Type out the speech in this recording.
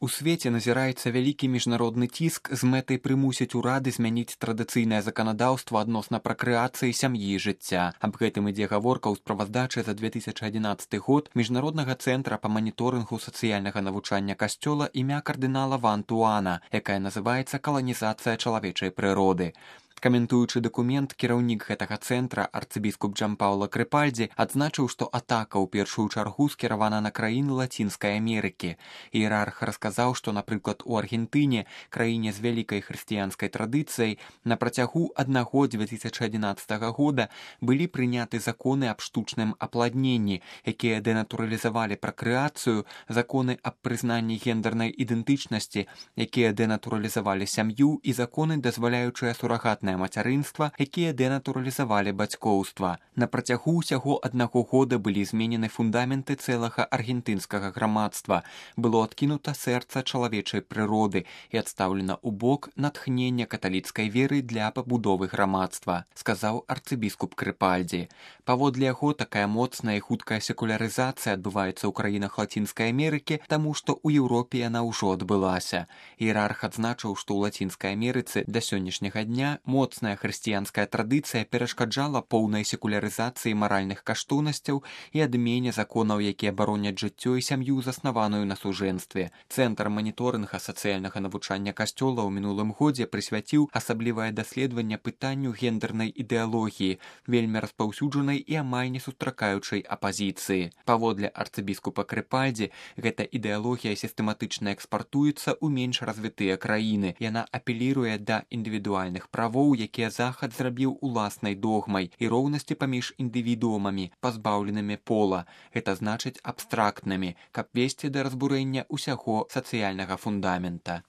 У свеце назіраецца вялікі міжнародны ціск з мэтай прымусіць урады змяніць традыцыйнае заканадаўства адносна пракрэацыі сям'і і жыцця. Аб гэтым ідзе гаворка ў справаздачы за 2011 год Міжнароднага цэнтра па маніторынгу сацыяльнага навучання касцёла імя кардынала Ван Туана, якая называецца «Каланізацыя чалавечай прыроды». Каментуючы дакумент, кіраўнік гэтага цэнтра, арцыбіскуп Джампаўла Крыпальдзі, адзначыў, што атака ў першую чаргу скіравана на краіны Лацінскай Амерыкі. Іерарх расказаў, што, напрыклад, у Аргентыне, краіне з вялікай хрысціянскай традыцыяй, на працягу аднаго 2011 года былі прыняты законы аб штучным апладненні, якія дэнатуралізавалі пракрэацыю, законы аб прызнанні гендернай ідэнтычнасці, якія дэнатуралізавалі сям'ю, і законы, дазваляючыя сурагатнае мацярынства, якія дэнатуралізавалі бацькоўства. На працягу ўсяго аднаго года былі зменены фундаменты цэлага аргентынскага грамадства. Было адкінута сэрца чалавечай прыроды і адстаўлена ў бок натхнення каталіцкай веры для пабудовы грамадства, сказаў арцыбіскуп Крыпальдзі. Паводле яго, такая моцная і хуткая секулярызацыя адбываецца ў краінах Лацінскай Амерыкі, таму што ў Еўропе яна ўжо адбылася. Іерарх адзначыў, што ў Лацінскай Амерыцы да сённяшняга дня моцная хрысціянская традыцыя перашкаджала поўнай секулярызацыі маральных каштоўнасцяў і адмене законаў, якія бароняць жыццё і сям'ю, заснаваную на сужэнстве. Цэнтр маніторынга сацыяльнага навучання касцёла ў мінулым годзе прысвяціў асаблівае даследаванне пытанню гендернай ідэалогіі, вельмі распаўсюджанай і амаль не сустракаючай апазіцыі. Паводле арцыбіскупа Крыпальдзі, гэта ідэалогія сістэматычна экспартуецца ў менш развітыя краіны. Яна апеліруе да індывідуальных правоў, якія Захад зрабіў уласнай догмай, і роўнасці паміж індывідуумамі, пазбаўленымі пола. Гэта значыць абстрактнымі, каб весці да разбурэння ўсяго сацыяльнага фундамента.